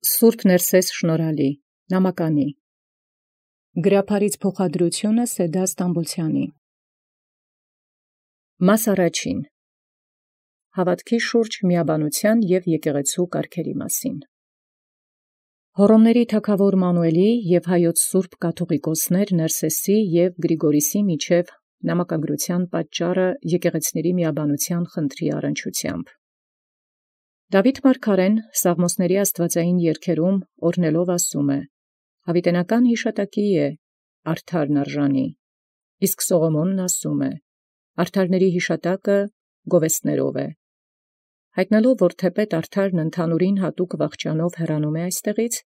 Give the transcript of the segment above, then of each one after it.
Սուրբ Ներսես շնորհալի, նամականի գրափարից փոխադրությունը Սեդա Ստամբուլցյանի Մաս առաջին Հավատքի շուրջ միաբանության և եկեղեցու կարգերի մասին Հոռոմների թագաւոր Մանուէլի և հայոց սուրբ կաթուղիկոսներ Ներսեսի և Գրիգորիսի միջև նամակագրության պատճառը եկեղեցիների միաբանության խնդրի առնչությամբ Դաւիթ մարգարեն Սաղմոսների աստուածային երգերում օրհնելով ասում է. «Յաւիտենական յիշատակի է արդարն արժանի», իսկ Սողոմոնն ասում է. «Արդարների յիշատակը գովեստներով է». Յայտնելով, որ թեպետ արդարն ընդհանուրին յատուկ վախճանով հեռանում է այստեղից,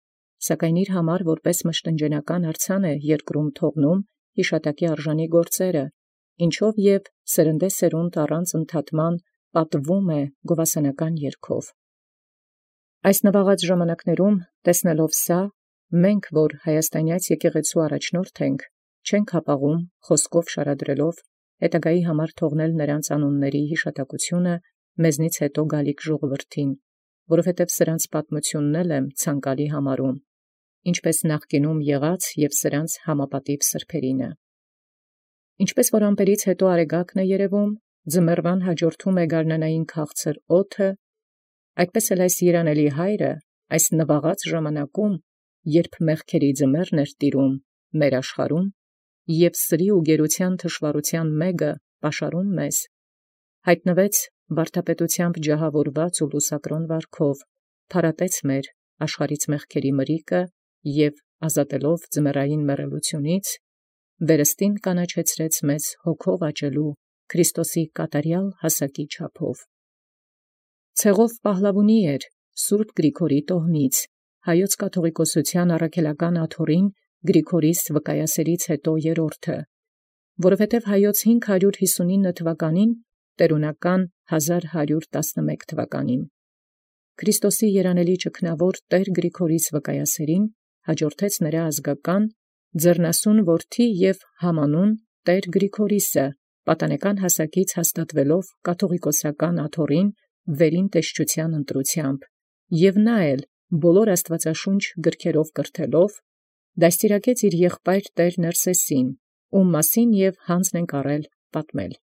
սակայն իր համար որպէս մշտնջենական արձան է երկրում թողնում յիշատակի արժանի գործերը, ինչով և սերնդեսերունդ առանց ընդհատման պատվվում է գովասանական երգով։ Այս նվաղած ժամանակներում տեսնելով սա, մենք, որ հայաստանյաց եկեղեցու առաջնորդ ենք, չենք հապաղում խոսքով շարադրելով հետագայի համար թողնել նրանց անունների յիշատակությունը մեզնից հետո գալիք ժողովրդին, որովհետև սրանց պատմությունն եմ ցանկալի համարում, ինչպես նախկինում եղած և սրանց համապատիվ սրբերինը։ Ինչպես որ ամպերից հետո արեգակն է երևում, ձմեռվան հաջորդում է գարնանային քաղցր օդը, այդպես էլ այս երանելի հայրը այս նվաղած ժամանակում, երբ մեղքերի ձմեռն էր տիրում մեր աշխարհում, և սրի ու գերության թշվառութեան մեգը պաշարում մեզ, հայտնվեց վարդապետութեամբ ջահավորված ու լուսակրոն վարքով, փարատեց մեր աշխարհից մեղքերի մրիկը և ազատելով ձմեռային մեռելությունից, վերստին կանաչեցրեց մեզ հոգով աճելու Քրիստոսի կատարյալ հասակի չափով։ Ցեղով պահլավունի էր Սուրբ Գրիգորի տոհմից, հայոց կաթողիկոսութեան առաքելական աթոռին Գրիգորիս վկայասերից հետո երրորդը, որովհետև հայոց 559 թվականին, տերունական 1111 թվականին, Քրիստոսի երանելի ճգնաւոր Տեր Գրիգորիս վկայասերին հաջորդեց նրա ազգական ձեռնասուն որդի և համանուն Տեր Գրիգորիսը, պատանեկան հասակից հաստատվելով կաթողիկոսական աթոռին վերին տեսչութեան ընտրութեամբ, և նա էլ բոլոր աստուածաշունչ գրքերով կրթելով, դաստիարակեց իր եղբայր Տեր Ներսեսին, ում մասին և յանձն ենք առել պատմել։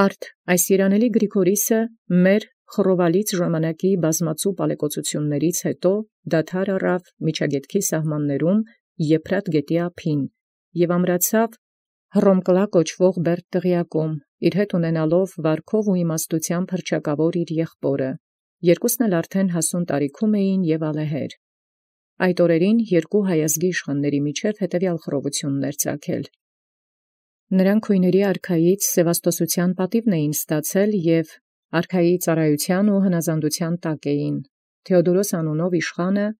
Արդ այս երանելի Գրիգորիսը մեր խռովալից ժամանակի բազմացու պալեկոծություններից հետո դադար առավ Միջագետքի սահմաններում Եփրատ գետի ափին և ամրացավ Հռոմկլա կոչվող Բերդտղիակում, իր հետ ունենալով վարքով ու իմաստութեամբ հռչակաւոր իր եղբորը, երկուսն էլ արդեն հասուն տարիքում էին և ալեհեր։ Այդ օրերին երկու հայազգի իշխանաց միջև հետևյալ խռովությունն ծագել։ Նրանք քույների արքայից սևաստոսութեան պատիւն էին ստացել և արքայի ծառայութեան ու հնազանդութեան տակ էին։ Թէոդորոս անունով իշխանը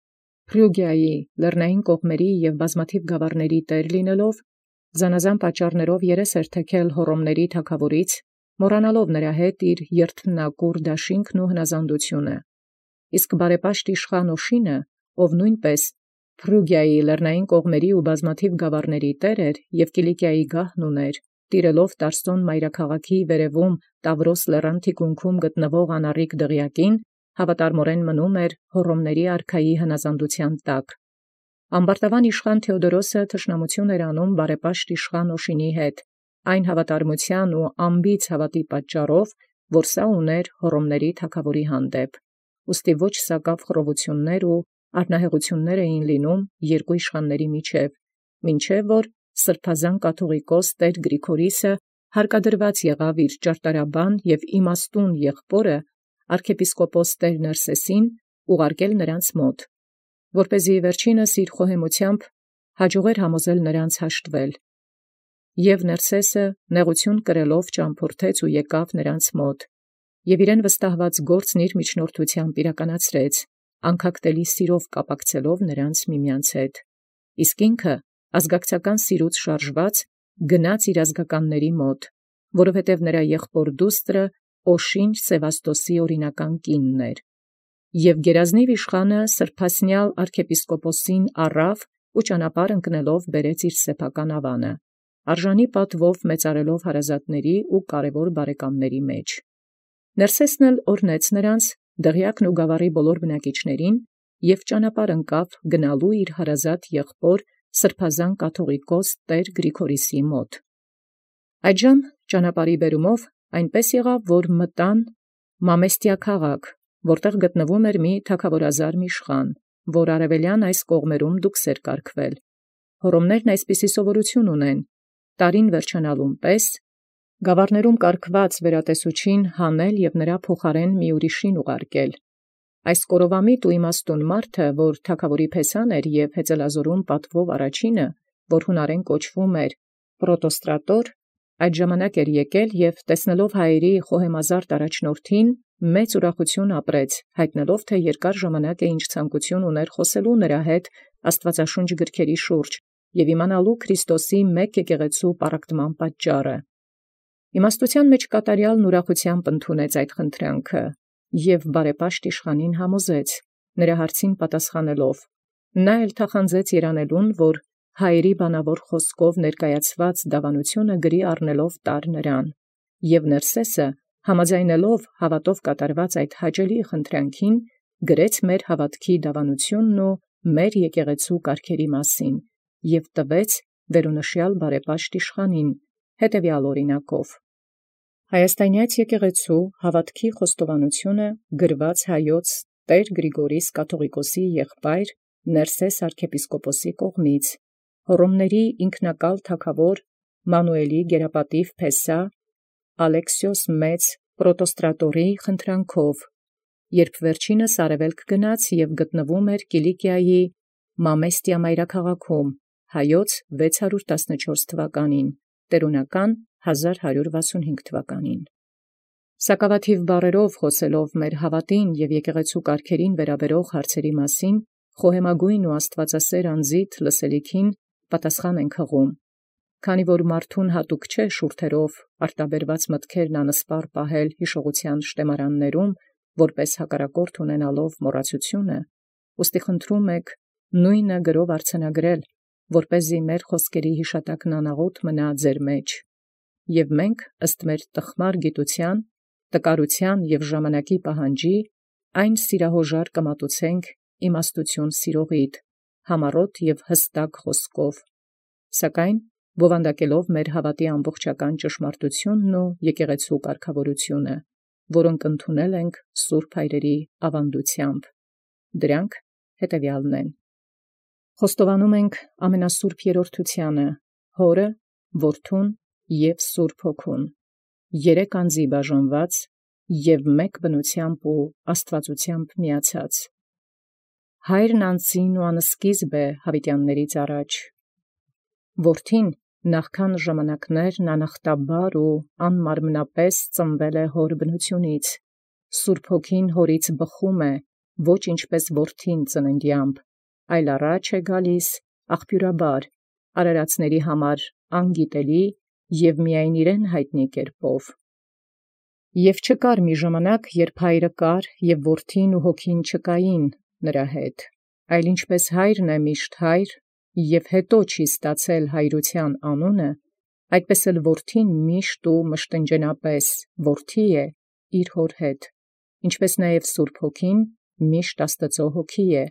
Փրուգիայի լեռնային կողմերի և բազմաթիվ գաւառների տեր լինելով, զանազան պատճառներով երես էր թեքել Հոռոմների թագաւորից, մոռանալով նրա հետ իր երդմնակուր դաշինքն ու հնազանդութիւնը։ Իսկ բարեպաշտ իշխան Օշինը, ով նոյնպէս Փրուգիայի լեռնային կողմերի ու բազմաթիվ գաւառների տեր էր և Կիլիկիայի գահն ունէր, տիրելով Տարսոն մայրաքաղաքի վերևում Տավրոս լեռան թիկունքում գտնվող անառիկ դղյակին, հավատարմորեն մնում էր Հոռոմների արքայի հնազանդութեան տակ։ Ամբարտավան իշխան Թէոդորոսը թշնամութիւն էր անում բարեպաշտ իշխան Օշինի հետ, այն հավատարմութեան ու անբիծ հաւատի պատճառով, որ սա ունէր Հոռոմների թագաւորի հանդեպ, ուստի ոչ սակաւ խռովություններ ու արհնահեղություններ էին լինում երկու իշխանաց միջև, մինչև որ սրբազան կաթողիկոս Տեր Գրիգորիսը հարկադրված եղավ իր ճարտարաբան և իմաստուն եղբորը arczepiskopos Տեր Ներսեսին ուղարկել նրանց մոտ, որպեսզի վերջինս իր խոհեմութեամբ հաջողեր համոզել նրանց հաշտվել։ Եւ Ներսեսը նեղութիւն կրելով ճամփորդեց ու եկավ նրանց մոտ, և իրեն վստահված գործն իր միջնորդութեամբ իրականացրեց, անկակտելի սիրով կապակցելով նրանց միմյանց հետ, իսկ ինքը ազգակցական սիրուց շարժված գնաց իր ազգականների մոտ, որովհետև նրա եղբոր դուստրը Օշին Սևաստոսի օրինական կինն էր։ Եւ գերազնիւ իշխանը սրբասնեալ arczepiskoposին առավ ու ճանապարհ ընկնելով բերեց իր սեփական ավանը, արժանի պատվով մեծարելով հարազատների ու կարևոր բարեկամների մեջ։ Ներսեսն էլ օրհնեց նրանց, դղյակն ու գաւառի բոլոր բնակիչներին, և ճանապարհ ընկավ գնալու իր հարազատ եղբոր սրբազան կաթուղիկոս տեր Գրիգորիսի մոտ։ Այդժամ ճանապարհի բերումով այնպես եղավ, որ մտան Մամեստիա քաղաք, որտեղ գտնվում էր մի թագաւորազարմ իշխան, որ արևելյան այս կողմերում դուքս էր կարգվել։ Հոռոմներն այսպիսի սովորութիւն ունեն. տարին վերջանալուն պես գաւառներում կարգված վերատեսուչին հանել և նրա փոխարեն մի ուրիշին ուղարկել։ Այս կորովամիտ ու իմաստուն մարդը, որ թագաւորի փեսան էր և հեծելազորում պատվով առաջինը, որ հունարեն կոչվում էր Պրոտոստրատոր, այդ ժամանակ էր եկել և տեսնելով հայերի խոհեմազարդ առաջնորդին, մեծ ուրախութիւն ապրեց, յայտնելով, թէ երկար ժամանակ է ինչ ցանկութիւն ուներ խոսելու նրա հետ աստուածաշունչ գրքերի շուրջ և իմանալու Քրիստոսի մեկ եկեղեցու պառակտման պատճառը։ Իմաստութեան մեջ կատարեալն ուրախութեամբ ընդունեց այդ խնդրանքը և բարեպաշտ իշխանին համոզեց, նրա հարցին պատասխանելով. նա էլ թախանձեց երանելուն, որ հայերի բանավոր խոսքով ներկայացված դավանութիւնը գրի առնելով տար նրան, և Ներսէսը համաձայնելով հաւատով կատարված այդ հաճելի խնդրանքին, գրեց մեր հաւատոյ դավանութիւնն ու մեր եկեղեցու կարգերի մասին և տվեց վերոնշյալ բարեպաշտ իշխանին հետևեալ օրինակով։ Հայաստանեաց եկեղեցու հաւատոյ խոստովանութիւնը գրված հայոց տեր Գրիգորիս կաթուղիկոսի եղբայր Ներսէս arczepiskoposի կողմից Հոռոմների ինքնակալ թագաւոր Մանուէլի գերապատիւ փեսայ Ալեքսիոս մեծ Պրոտոստրատորի խնդրանքով, երբ վերջինս արևելք գնաց և գտնվում էր Կիլիկիայի Մամեստիա մայրաքաղաքում, հայոց 614 թվականին, տերունական 1165 թվականին։ Սակավաթիւ բառերով խոսելով մեր հաւատին և եկեղեցու կարգերին վերաբերող հարցերի մասին, խոհեմագոյն ու աստուածասէր անձիդ լսելիքին պատասխան ենք հղում, քանի որ մարդուն հատուկ չէ շուրթերով արտաբերված մտքերն անսպառ պահել յիշողութեան շտեմարաններում, որպէս հակառակորդ ունենալով մոռացութիւնը, ուստի խնդրում եք նույնը գրով արձանագրել, որպեսզի մեր խոսքերի յիշատակն անաղոտ մնա ձեր մեջ, և մենք ըստ մեր տխմար գիտութեան, տկարութեան և ժամանակի պահանջի, այն սիրահոժար կմատուցենք իմաստութիւն սիրողիդ, համառոտ և հստակ խոսքով, սակայն բովանդակելով մեր հաւատի ամբողջական ճշմարտութիւնն ու եկեղեցու կարգաւորութիւնը, որոնք ընդունել ենք սուրբ հայրերի աւանդութեամբ։ Դրանք հետևեալն են. Խոստովանում ենք ամենասուրբ երրորդութեանը, Հորը, Որդուն և Սուրբ Հոգուն, երեք անձի բաժանված և մեկ բնութեամբ ու աստուածութեամբ միացած, Հայրն անձին ու անսկիզբ է յաւիտեանացն առաջ, Որդին նախքան ժամանակաց անախտաբար ու անմարմնապես ծնվել է հոր բնութիւնից, Սուրբ Հոգին հորից բխում է, ոչ ինչպես որդին ծննդեամբ, այլ առաջ է գալիս աղբիւրաբար, արարածացն համար անգիտելի և միայն իրեն յայտնի կերպով։ Եւ չկար մի ժամանակ, երբ Հայրը կար և Որդին ու Հոգին չկային նրա հետ, այլ ինչպես Հայրն է միշտ Հայր և հետո չի ստացել հայրութեան անունը, այդպէս էլ Որդին միշտ ու մշտնջենապէս Որդի է իր Հօր հետ, ինչպես նաև Սուրբ Հոգին միշտ Աստուծոյ Հոգի է,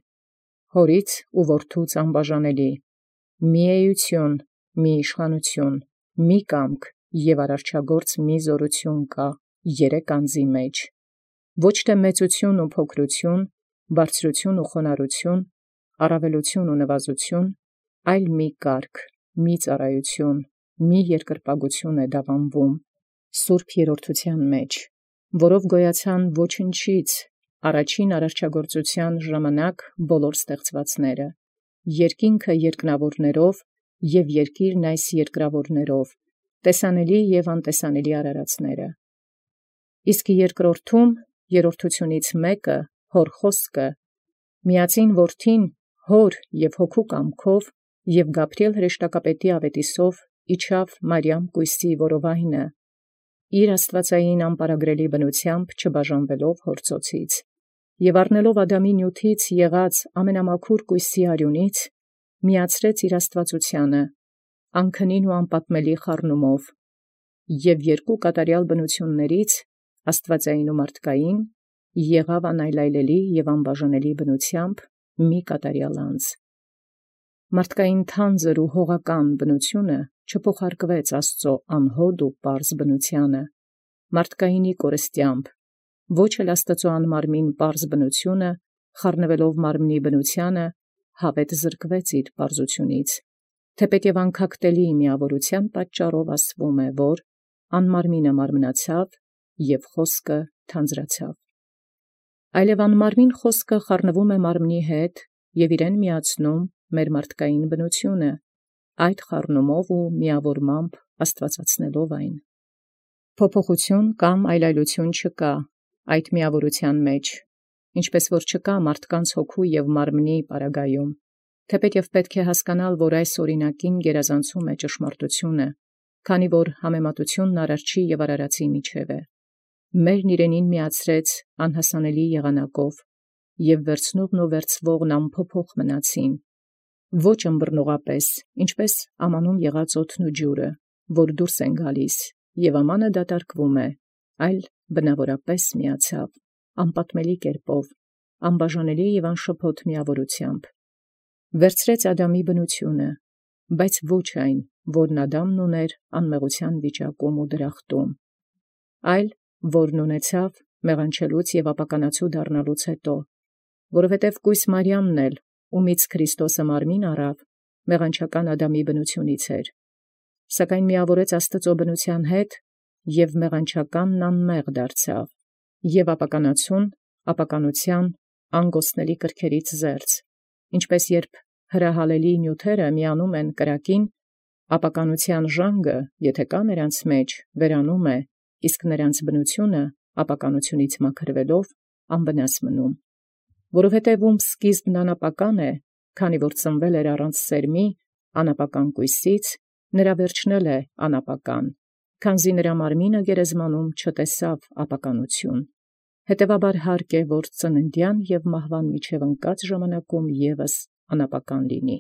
Հորից ու Որդուց անբաժանելի, մի էութիւն, մի իշխանութիւն, մի կամք և արարչագործ մի զօրութիւն կա երեք անձի մեջ, ոչ թէ մեծութիւն ու փոքրութիւն, բարձրութիւն ու խոնարհութիւն, առաւելութիւն ու նվազութիւն, այլ մի կարգ, մի ծառայութիւն, մի երկրպագութիւն է դաւանվում սուրբ երրորդութեան մեջ, որով գոյացան ոչնչից առաջին արարչագործութեան ժամանակ բոլոր ստեղծուածները, երկինքը երկնաւորաւք և երկիրն այս երկրաւորաւք, տեսանելի և անտեսանելի արարածները։ Իսկ երկրորդում երրորդութիւնից մեկը Հոր խոսքը, միածին Որդին Հոր և Հոգու կամքով և Գաբրիէլ հրեշտակապետի աւետիսով իջավ Մարիամ կոյսի որովայնը, իր աստուածային անպարագրելի բնութեամբ չբաժանվելով հոր ծոցից, և առնելով Ադամի նիւթից եղած ամենամաքուր կոյսի արիունից, միացրեց իր աստուածութեանը, անքնին ու անպատմելի խառնումով, և երկու կատարեալ բնութիւնացն աստուածային ու մարդկային եղավ անայլայլելի և անբաժանելի բնութեամբ մի կատարյալ անձ։ Մարդկային թանձր ու հողական բնությունը չփոխարկվեց Աստծո անհոդ ու պարզ բնությանը, մարդկայինի կորստյամբ, ոչ էլ Աստծո անմարմին պարզ բնությունը, խառնվելով մարմնի բնությանը, հավետ զրկվեց իր պարզությունից, թեպետ և անքակտելի միավորության պատճառով ասվում է, որ անմարմինը մարմնացավ և խոսքը թանձրացավ։ Այլև անմարմին խոսքը խառնվում է մարմնի հետ և իրեն միացնում մեր մարդկային բնությունը, այդ խառնումով ու միավորմամբ աստվածացնելով այն։ Փոփոխություն կամ այլայլություն չկա այդ միավորության մեջ, ինչպես որ չկա մարդկանց հոգու և մարմնի պարագայում, թեպետ և պետք է հասկանալ, որ այս օրինակին գերազանցում է ճշմարտությունը, քանի որ համեմատությունն արարչի և արարածի միջև է։ Մերն իրենին միացրեց անհասանելի եղանակով, և վերցնողն ու վերցվողն անփոփոխ մնացին, ոչ ըմբռնողապես, ինչպես ամանում եղած օդն ու ջուրը, որ դուրս են գալիս, և ամանը դատարկվում է, այլ բնավորապես միացավ, անպատմելի կերպով, անբաժանելի և անշփոթ միավորությամբ։ Վերցրեց Ադամի բնությունը, բայց ոչ այն, որն Ադամն ուներ անմեղության վիճակում ու դրախտում, այլ որն ունեցավ մեղանչելուց և ապականացու դառնալուց հետո, որովհետև կույս Մարիամն էլ, ումից Քրիստոսը մարմին առավ, մեղանչական Ադամի բնությունից էր, սակայն միավորեց Աստծո բնության հետ և մեղանչականն անմեղ դարձավ, և ապականացուն ապականության անգոսնելի կրքերից զերծ, ինչպես երբ հրահալելի նյութերը միանում են կրակին, ապականության ժանգը, եթե կա նրանց մեջ, վերանում է, իսկ նրանց բնությունը ապականությունից մաքրվելով անվնաս մնում, որովհետև ում սկիզբն անապական է, քանի որ ծնվել էր առանց սերմի, անապական կույսից, նրա վերջն էլ է անապական, քանզի նրա մարմինը գերեզմանում չտեսավ ապականություն, հետևաբար հարկ է, որ ծննդյան և մահվան միջև ընկած ժամանակում ևս անապական լինի։